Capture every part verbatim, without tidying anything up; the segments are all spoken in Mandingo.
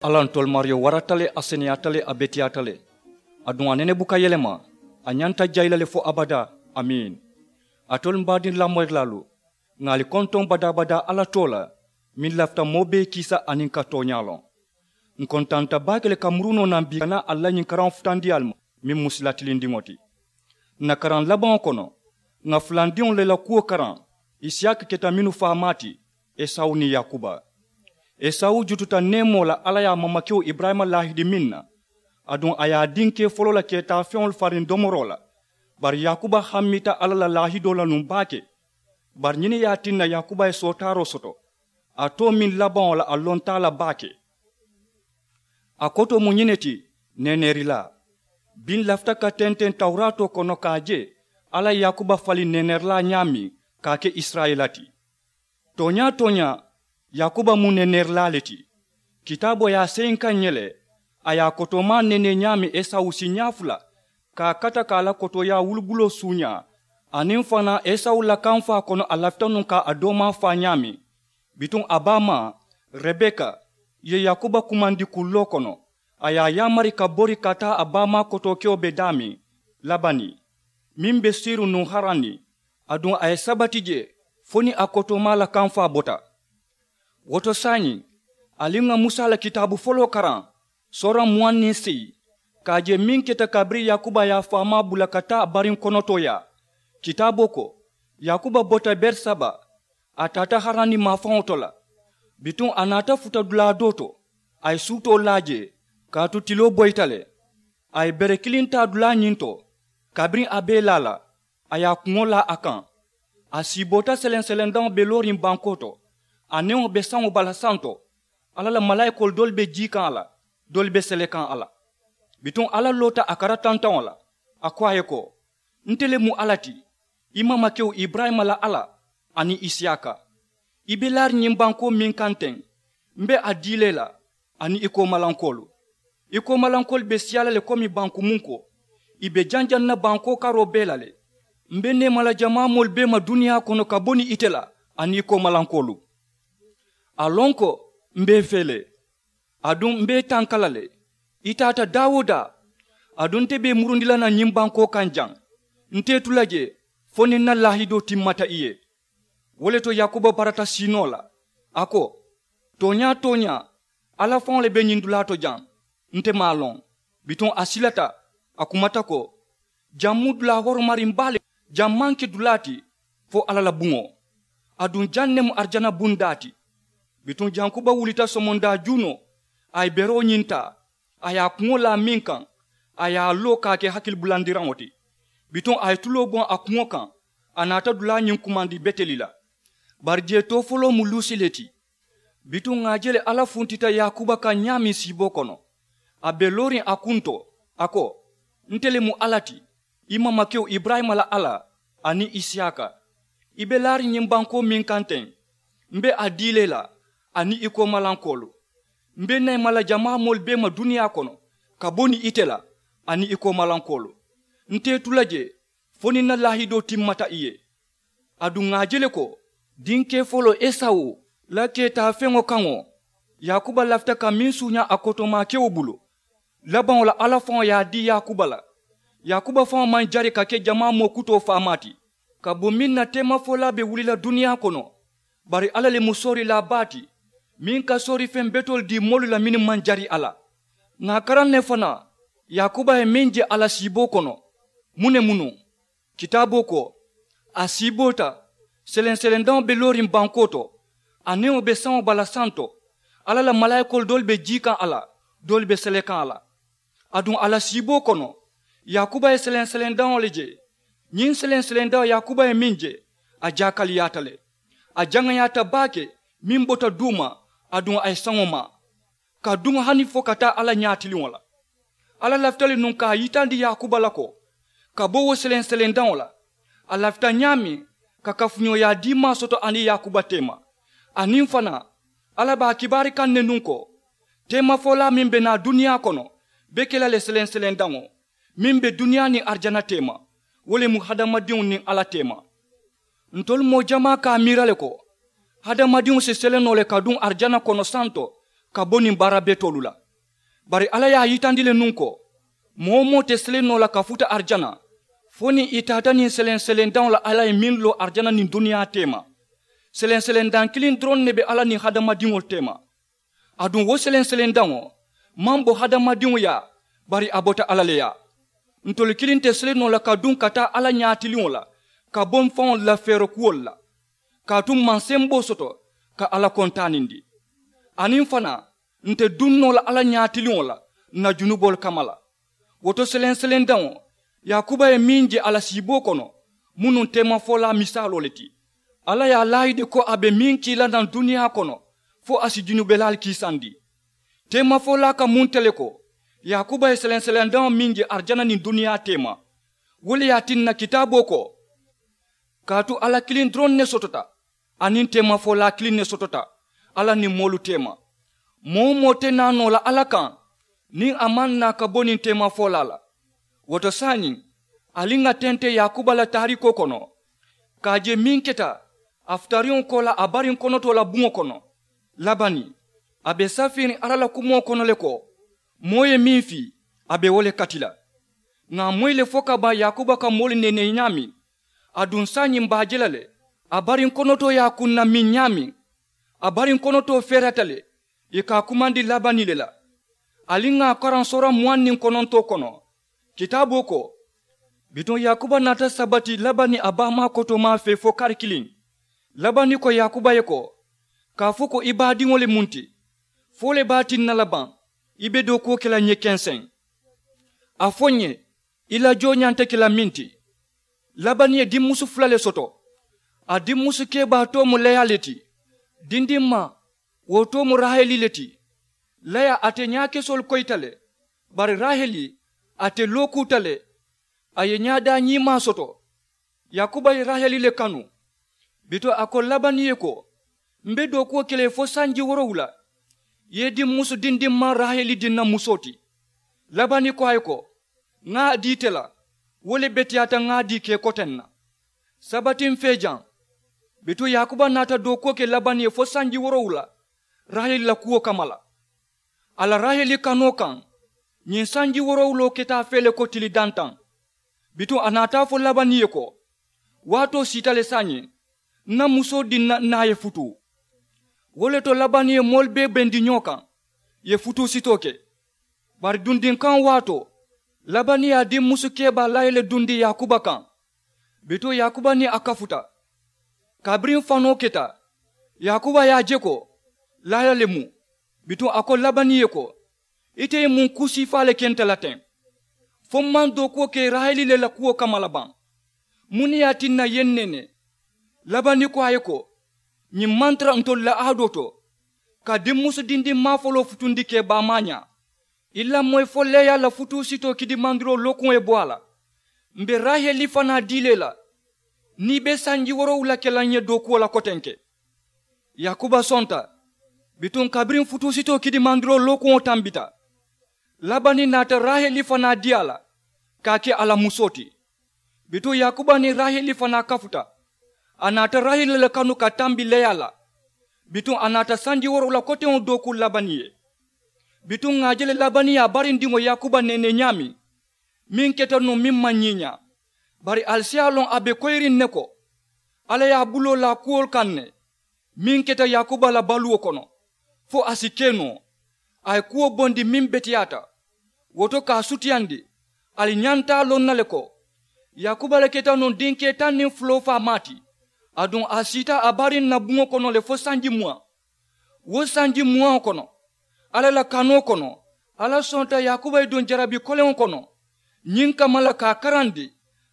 Alla ntolu maariyo warata le, a seneyaata le, a beteyaata le. Aduŋ a nene buka yelema. A ñanta jayi la le fo abadaa. Amiin. Alitolu m baadiŋ lamoyirilaalu, ŋà ali kontoŋ badaa-badaa alla too la, meŋ lafita moo bee kiisa aniŋ ka tooñaa loŋ. Ǹ kontaanta baake le ka murunoo naŋ bii ka naa ali la ñiŋ karaŋo futandi ali ma, meŋ mu sila tilindiŋo ti. Ǹ na karaŋ labaŋo kono, ŋà fulandiŋolu le la kuwo karaŋ. Isiyaaka keta mennu faamaa ti, esawu niŋ yaakuba. Esawu jututa neemoo la alla ye a mamakewo iburayima laahidi meŋ na, aduŋ a ye a diŋ kee foloo la keetaafeŋolu fariŋ domoroo la. Bari yaakuba hammita alla la laahidoo la nuŋ baake. Bari ñiŋ ne ye a tinna yaakuba ye sootaaroo soto, a too meŋ labaŋo la a lonta a la baake. A kotoo mu ñiŋ ne ti, neeneerilaa. Biŋ lafita ka tenteŋ tawuraatoo kono ka a je alla ye yaakuba faliŋ neeneerilaa ñaameŋ ka a ke isirayila ti. Tooñaa-tooñaa, yaakuba mu neeneerilaa le ti. Kitaaboo ye a seyinka ǹ ye le, a ye a kotoomaa neenee ñaameŋ esawu siiñaa fula, ka a kata ka a la kotooyaa wulubuloo suuñaa. Aniŋ fanaa esawu la kaŋ faa kono a lafita nuŋ ka a doomaa faa ñaameŋ. Bituŋ a baamaa, rebeka, ye yaakuba kumandi kulloo kono. A ye a yaamari ka bori ka taa a baamaa kotookewo be daameŋ, labani, meŋ be siiru nuŋ harani. Aduŋ a ye sabati jee fo niŋ a kotoomaa la kaŋ faa bota. Wo to saayiŋ, ali ŋà musa la kitaabu foloo karaŋ, soora muwaŋ niŋ seyi, ka a je meŋ keta kabiriŋ yaakuba ye a faamaa bula ka taa a bariŋ konotooyaa. Kitaaboo ko, yaakuba bota berisaba, a taata harani maafaŋo to la. Bituŋ a naata futa dulaa doo to, a ye suutoo laa jee, kaatu tiloo boyita le. A ye bere kiliŋ taa dulaa ñiŋ to, kabiriŋ a be ì laa la, a ye a kuŋo laa a kaŋ. A siiboota seleŋ-seleŋ daŋo be looriŋ bankoo to, a neŋo be saŋo bala santo. Alla la malaayikoolu doolu be jii kaŋ a la, doolu be sele kaŋ a la. Bituŋ alla loota a kara tantaŋo la, a ko a ye ko, nte le mu alla ti, i maamakewo iburayima la alla, aniŋ isiyaaka. I be laariŋ ñiŋ bankoo meŋ kaŋ teŋ, m be a dii la i la, aniŋ i koomalankoolu. I koomalankoolu be siyaa la le komi banku munkoo. I be janjaŋ na bankoo karoo bee la le. M be neema la jamaa moolu bee ma duniyaa kono ka bo niŋ ite la, aniŋ i koomalankoolu. A loŋ ko, m be i fee le. Aduŋ m be i tanka la le. I taata daa-wo-daa. Aduŋ nte be i murundi la naŋ ñiŋ bankoo kaŋ jaŋ. Nte i tu la jee fo niŋ n na laahidoo timmata i ye. Wo le to yaakuba barata siinoo la, a ko, tooñaa-tooñaa, alla faŋo le be ñiŋ dulaa to jaŋ. Nte maŋ a loŋ. Bituŋ a silata, a kumata ko, jaŋ mu dulaa horomariŋ baa le. Jaŋ maŋ ke dulaa ti fo alla la buŋo. Aduŋ jaŋ ne mu arijana bundaa ti. Bituŋ jankuba wulita somondaa juunoo, a ye beroo ñiŋ taa, a ye a kuŋo laa meŋ kaŋ, a ye a loo ka a ke hakilibulandi raŋo ti. Bituŋ a ye tuloo boŋ a kuŋo kaŋ, a naata dulaa ñiŋ kumandi beteli la. Bari jee too foloo mu luusi le ti. Bituŋ ŋà a je le alla funtita yaakuba kaŋ ñaameŋ siiboo kono. A be looriŋ a kuntoo, a ko, nte le mu alla ti, i maamakewo iburayima la alla, aniŋ isiyaaka. I be laariŋ ñiŋ bankoo meŋ kaŋ teŋ, m be a dii la i la, aniŋ i koomalankoolu. M be neema la jamaa moolu bee ma duniyaa kono, ka bo niŋ ite la, aniŋ i koomalankoolu. Nte i tu la jee fo niŋ n na laahidoo timmata i ye. Aduŋ ŋà a je le ko, dinkee foloo esawu la keetaafeŋo kaŋo, yaakuba lafita ka meŋ suuñaa a kotoomaa kewo bulu. Labaŋo la alla faŋo ye a dii yaakuba la. Yaakuba faŋo maŋ jari ka ke jamaa moo kutoo faamaa ti. Ka bo meŋ na teemafolaa be wuli la duniyaa kono, bari alla le mu soorilaa baa ti, meŋ ka soorifeŋ betoolu dii moolu la mennu maŋ jari a la. Ŋà a karaŋ ne fanaa, yaakuba ye meŋ je a la siiboo kono, muŋ ne mu nuŋ? Kitaaboo ko, a siiboota, seleŋ-selendaŋo be looriŋ bankoo to, a neŋo be saŋo bala santo. Alla la malaayikoolu doolu be jii kaŋ a la, doolu be sele kaŋ a la. Aduŋ a la siiboo kono, yaakuba ye seleŋ-selendaŋo le je. Ñiŋ seleŋ-selendaŋo yaakuba ye meŋ je, a jaakaliyaata le. A jaŋayaata baake, meŋ bota duuma, aduŋ a ye saŋo maa, ka duŋ hani fo ka taa alla ñaatiliŋo la. Alla lafita le nuŋ ka a yitandi yaakuba la ko, ka bo wo seleŋ-selendaŋo la, a lafita ñaameŋ ka kafuñooyaa diimaa soto aniŋ yaakuba teema. Aniŋ fanaa, alla be a kibaari kaŋ ne nuŋ ko, teemafolaa meŋ be naa duniyaa kono be ke la le seleŋ-selendaŋo, meŋ be duniyaa niŋ arijana teema, wo le mu hadamadiŋo niŋ alla teema. Ntolu moo jamaa ka a miira le ko, hadamadiŋo si sele noo le ka duŋ arijana kono santo, ka bo niŋ baara betoolu la. Bari alla ye a yitandi le nuŋ ko moo-wo-moo te seleŋ noo la ka futa arijana fo niŋ ì taata niŋ seleŋ-seleŋ daŋo la alla ye meŋ loo arijana niŋ duniyaa teema. Seleŋ-seleŋ daŋ kiliŋ doroŋ ne be alla niŋ hadamadiŋolu teema. Aduŋ wo seleŋ-seleŋ daŋo maŋ bo hadamadiŋo yaa, bari a bota alla le yaa. Ntolu kiliŋ te seleŋ noo la ka duŋ ka taa alla ñaatiliŋo la ka bo mfaŋolu la feerokuwolu la, kaatu m maŋ semboo soto ka alla kontaanindi. Aniŋ fanaa, nte duŋ noo la alla ñaatiliŋo la n na junuboolu kamma la. Wo to seleŋ-seleŋ daŋo, yaakuba ye meŋ je a la siiboo kono, mu nuŋ teemafolaa misaaloo le ti. Alla ye a laayidi ko a be meŋ kii la naŋ duniyaa kono fo a si junubelaalu kiisandi. Teemafolaa ka munta le ko yaakuba ye seleŋ-seleŋ daŋo meŋ je arijana niŋ duniyaa teema, wo le ye a tinna kitaaboo ko, kaatu alla kiliŋ doroŋ ne sotota, aniŋ teemafolaa kiliŋ ne sotota alla niŋ moolu teema. Moo-wo-moo te naa noo la alla kaŋ niŋ a maŋ naa ka bo niŋ teemafolaa la. Wo to saayiŋ, ali ŋà tente yaakuba la taariikoo kono ka a je meŋ keta a futariŋo koolaa a bariŋ konotoo la buŋo kono. Labani, a be safiriŋ alla la kumoo kono le ko moo ye meŋ fii, a be wo le kati la. Ŋà a moyi le fo ka baŋ yaakuba ka moolu neenee ñaameŋ. Aduŋ saayiŋ m be a je la le, a bariŋ konotoo ye a kunna meŋ ñaameŋ, a bariŋ konotoo feerata le ì ka a kumandi labani le la. Ali ŋà a karaŋ soora muwaŋ niŋ konontoo kono. Kitaaboo ko, bituŋ yaakuba naata sabati labani a baamaa kotoomaa fee fo kari kiliŋ. Labani ko yaakuba ye ko, ka a fo ko i baadiŋo le muŋ ti? Fo le be a tinna la baŋ i be dookuwo ke la ǹ ye kenseŋ? A fo ǹ ye, i la joo ñanta ke la meŋ ti. Labani ye dimmusu fula le soto. A dimmusu kebaa too mu leya le ti. Dindimmaa, wo too mu raheli le ti. Leya ate ñaakesoolu koyita le, bari raheli ate lookuuta le. A ye ñaadaa ñiimaa soto. Yaakuba ye raheli le kanu. Bituŋ a ko labani ye ko, m be dookuwo ke la i ye fo sanji woorowula. I ye dimmusu dindimmaa raheli diŋ na musoo ti. Labani ko a ye ko, ŋa a dii ite la, wo le beteyaata ŋa a dii ka i koteŋ na. Sabatiŋ fee jaŋ, bituŋ yaakuba naata dookuwo ke labani ye fo sanji woorowula raheli la kuwo kamma la. A la raheli kanoo kaŋ, ñiŋ sanji woorowuloo keta a fee le ko tili dantaŋ. Bituŋ a naata a fo labani ye ko, waatoo siita le saayiŋ, n na musoo diŋ na n naa ye futuu. Wo le to labani ye moolu bee bendi ñoo kaŋ, ì ye futuu sitoo ke. Bari dundiŋ kaŋo waatoo, labani ye a dimmusu kebaa layi le dundi yaakuba kaŋ. Bituŋ yaakuba niŋ a kafuta. Kabiriŋ fanoo keta, yaakuba ye a je ko layi le mu. Bituŋ a ko labani ye ko, ite ye muŋ kuu siifaa le ke nte la teŋ? Fo m maŋ dookuwo ke raheli le la kuwo kamma la baŋ? Muŋ ne ye a tinna i ye n neenee? Labani ko a ye ko, ñiŋ maŋ tara ntolu la aadoo to, ka dimmusu dindimmaa foloo futundi ka i baamaa ñaa. I lamoyi fo leeyaa la futuu sitoo kidimandiroo lookuŋo ye bo a la. M be raheli fanaa dii la i la, niŋ i be sanji woorowula ke la n ye dookuwo la kotenke. Yaakuba sonta. Bituŋ kabiriŋ futuu sitoo kidimandiroo lookuŋo tambita, labani naata raheli fanaa dii a la ka a ke a la musoo ti. Bituŋ yaakuba niŋ raheli fanaa kafuta. A naata raheli le kanu ka tambi leeyaa la. Bituŋ a naata sanji woorowula koteŋo dookuu labani ye. Bituŋ ŋà a je le labani ye a barindiŋo yaakuba neenee ñaameŋ, meŋ keta nuŋ meŋ maŋ ñiiñaa. Bari ali si a loŋ a be koyiriŋ ne ko, alla ye a buloo laa kuwolu kaŋ ne, meŋ keta yaakuba la baluwo kono, fo a si ke noo. A ye kuwo bondi meŋ beteyaata. Wo to ka a sutiyandi, ali ñanta a loŋ na le ko, yaakuba le keta nuŋ dinkee taŋ niŋ fuloo faamaa ti. Aduŋ a siita a bariŋ na buŋo kono le fo sanji muwaŋ. Wo sanji muwaŋo kono, alla la kanoo kono, alla sonta yaakuba ye duŋ jarabi koleŋo kono, ñiŋ kamma la ka a karandi,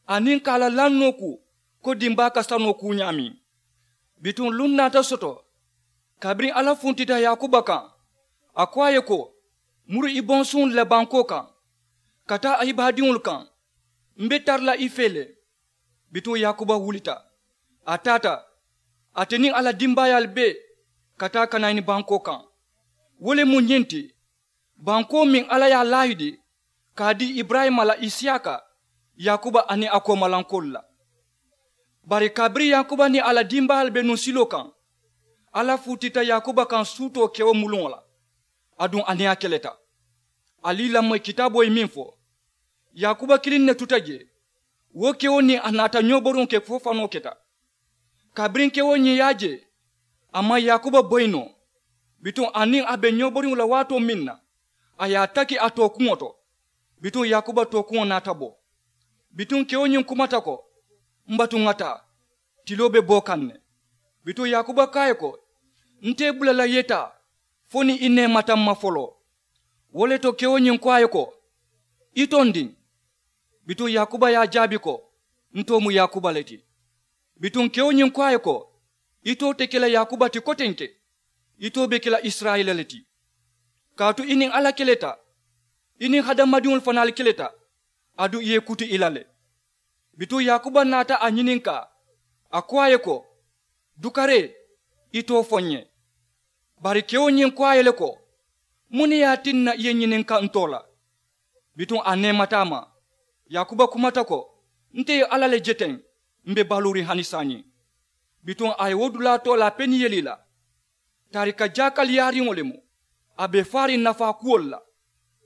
aniŋ ka a la lannoo kuu, ko dimbaa ka sanoo kuu ñaameŋ. Bituŋ luŋ naata soto, kabiriŋ alla funtita yaakuba kaŋ, a ko a ye ko, muru i bonsuŋolu la bankoo kaŋ, ka taa a ibaadiŋolu kaŋ. M be tara la i fee le. Bituŋ yaakuba wulita, a taata, ate niŋ a la dimbaayaalu bee, ka taa kanayini bankoo kaŋ. Wo le mu ñiŋ ti, bankoo meŋ alla ye a laahidi ka a dii iburayima la isiyaaka, yaakuba aniŋ a koomalankoolu la. Bari kabiriŋ yaakuba niŋ a la dimbaayaalu be nuŋ siloo kaŋ, alla fuutita yaakuba kaŋ suutoo kewo muluŋo la. Aduŋ a niŋ a keleta. Ali lamoyi kitaaboo ye meŋ fo, yaakuba kiliŋ ne tuta jee. Wo kewo niŋ a naata ñooboriŋo ke fo fanoo keta. Kabiriŋ kewo ñiŋ ye a je, a maŋ yaakuba boyi noo. Bituŋ a niŋ a be ñooboriŋo la waatoo meŋ na, a ye a taki a tookuŋo to. Bituŋ yaakuba tookuŋo naata bo. Bituŋ kewo ñiŋ kumata ko, m batu ŋa taa, tiloo be boo kaŋ ne. Bituŋ yaakuba ko a ye ko, n te i bula la i ye taa, fo niŋ i neemata m ma foloo. Wo le to kewo ñiŋ ko a ye ko, i tondiŋ. Bituŋ yaakuba ye a jaabi ko, n too mu yaakuba le ti. Bituŋ kewo ñiŋ ko a ye ko, i too te ke la yaakuba ti kotenke, i too be ke la isirayila le ti. Kaatu i niŋ alla keleta, i niŋ hadamadiŋolu fanaalu keleta, aduŋ i ye i kuti i la le. Bituŋ yaakuba naata a ñininkaa, a ko a ye ko, dukaree, i too fo n ye. Bari kewo ñiŋ ko a ye le ko, muŋ ne ye a tinna i ye ñininka n too la? Bituŋ a neemata a ma. Yaakuba kumata ko, nte ye alla le je teŋ, m be baluuriŋ hani saayiŋ. Bituŋ a ye wo dulaa too la peniyeli la. Taarika jaakaliyaariŋo le mu, a be faariŋ nafaa kuwolu la.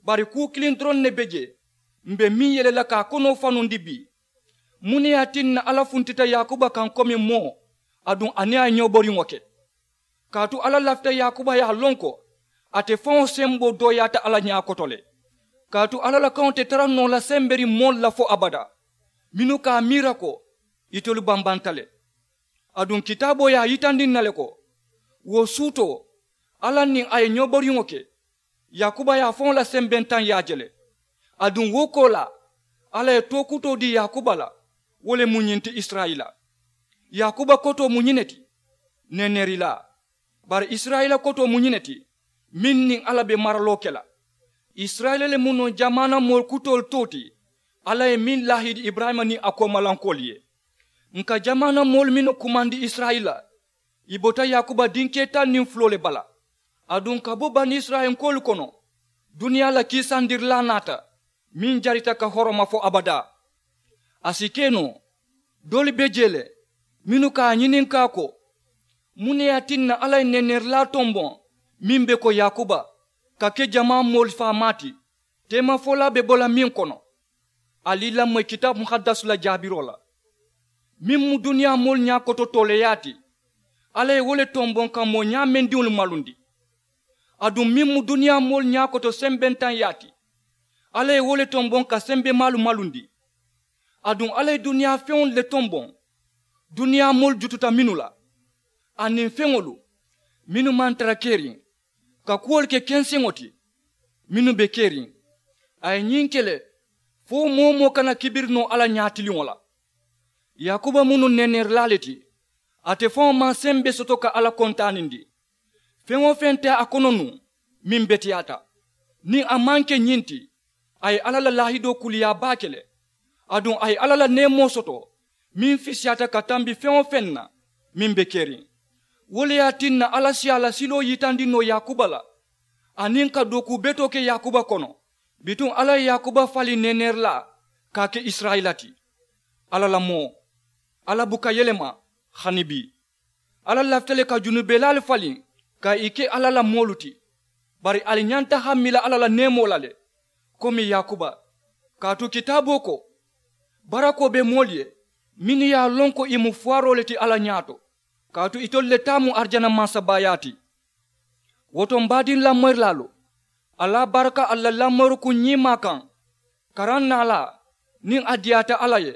Bari kuu kiliŋ doroŋ ne be jee, m be meŋ yele la ka a konoo fanundi bii. Muŋ ne ye a tinna alla funtita yaakuba kaŋ komi moo, aduŋ a niŋ a ye ñooboriŋo ke? Kaatu alla lafita yaakuba ye a loŋ ko, ate faŋo semboo dooyaata alla ñaa koto le. Kaatu alla la kaŋo te tara noo la semberiŋ moolu la fo abadaa, mennu ka a miira ko, itelu bambanta le. Aduŋ kitaaboo ye a yitandi n na le ko, wo suutoo, alla niŋ a ye ñooboriŋo ke, yaakuba ye a faŋo la sembentaŋ ye a je le. Aduŋ wo koolaa, alla ye tookutoo dii yaakuba la, wo le mu ñiŋ ti isirayila. Yaakuba kotoo mu ñiŋ ne ti, neeneerilaa. Bari isirayila kotoo mu ñiŋ ne ti, meŋ niŋ alla be maraloo ke la. Isirayila le mu noo jamaana moolu kutoolu too ti, alla ye meŋ laahidi iburayima niŋ a koomalankoolu ye. N ka jamaana moolu mennu kumandi isirayila, i bota yaakuba dinkee taŋ niŋ fuloo le bala. Aduŋ ka bo banisirayilankoolu kono, duniyaa la kiisandirilaa naata, meŋ jarita ka horoma fo abadaa. A si ke noo, doolu be jee le, mennu ka a ñininkaa ko, muŋ ne ye a tinna alla ye neeneerilaa tomboŋ meŋ be ko yaakuba, ka ke jamaa moolu faamaa ti, teemafolaa be bo la meŋ kono? Ali lamoyi kitaabu muhaddasu la jaabiroo la. Meŋ mu duniyaa moolu ñaa koto tooleeyaa ti, alla ye wo le tomboŋ ka moo ñaameŋ diŋolu malundi. Aduŋ meŋ mu duniyaa moolu ñaa koto sembentaŋyaa ti, alla ye wo le tomboŋ ka sembemaalu malundi. Aduŋ alla ye duniyaa feŋolu le tomboŋ, duniyaa moolu jututa mennu la, aniŋ feŋolu mennu maŋ tara keriŋ, ka kuwolu ke kenseŋo ti, mennu be keriŋ. A ye ñiŋ ke le, fo moo-wo-moo kana kibiri noo alla ñaatiliŋo la. Yaakuba mu nuŋ neeneerilaa le ti, ate faŋo maŋ sembe soto ka alla kontaanindi. Feŋ-wo-feŋ te a kono nuŋ, meŋ beteyaata. Niŋ a maŋ ke ñiŋ ti, a ye alla la laahidoo kuliyaa baake le. Aduŋ a ye alla la neemoo soto, meŋ fisiyaata ka tambi feŋ-wo-feŋ na, meŋ be keriŋ. Wo le ye a tinna alla si a la siloo yitandi noo yaakuba la, aniŋ ka dookuu betoo ke yaakuba kono. Bituŋ alla ye yaakuba faliŋ neeneerilaa ka a ke isirayila ti. Alla la moo, alla buka yelema, hani bii. Alla lafita le ka junubelaalu faliŋ ka i ke alla la moolu ti. Bari ali ñanta hammila alla la neemoo la le, komi yaakuba. Kaatu kitaaboo ko, barakoo be moolu ye mennu ye a loŋ ko i mu fuwaroo le ti alla ñaato. Kaatu itolu le taa mu arijana mansabaayaa ti. Wo to m baadiŋ lamoyirilaalu, alla baraka ali la lamoyirukuŋ ñiimaa kaŋ. Karaŋ naalaa, niŋ a diyaata alla ye,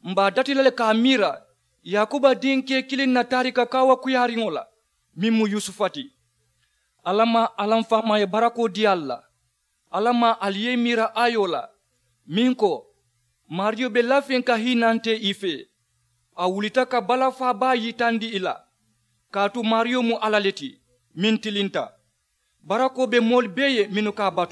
m be a dati la le ka a miira yaakuba dinkee kiliŋ na taarika kaawakuyaariŋo la, meŋ mu yusufa ti. Alla maa alla m faamaa ye barakoo dii ali la. Alla maa ali ye i miira aayoo la, meŋ ko, maariyo be lafiŋ ka hiinantee i fee. A wulita ka balafaa baa yitandi i la. Kaatu maariyo mu alla le ti, meŋ tilinta. Barakoo be moolu bee ye mennu ka a batu.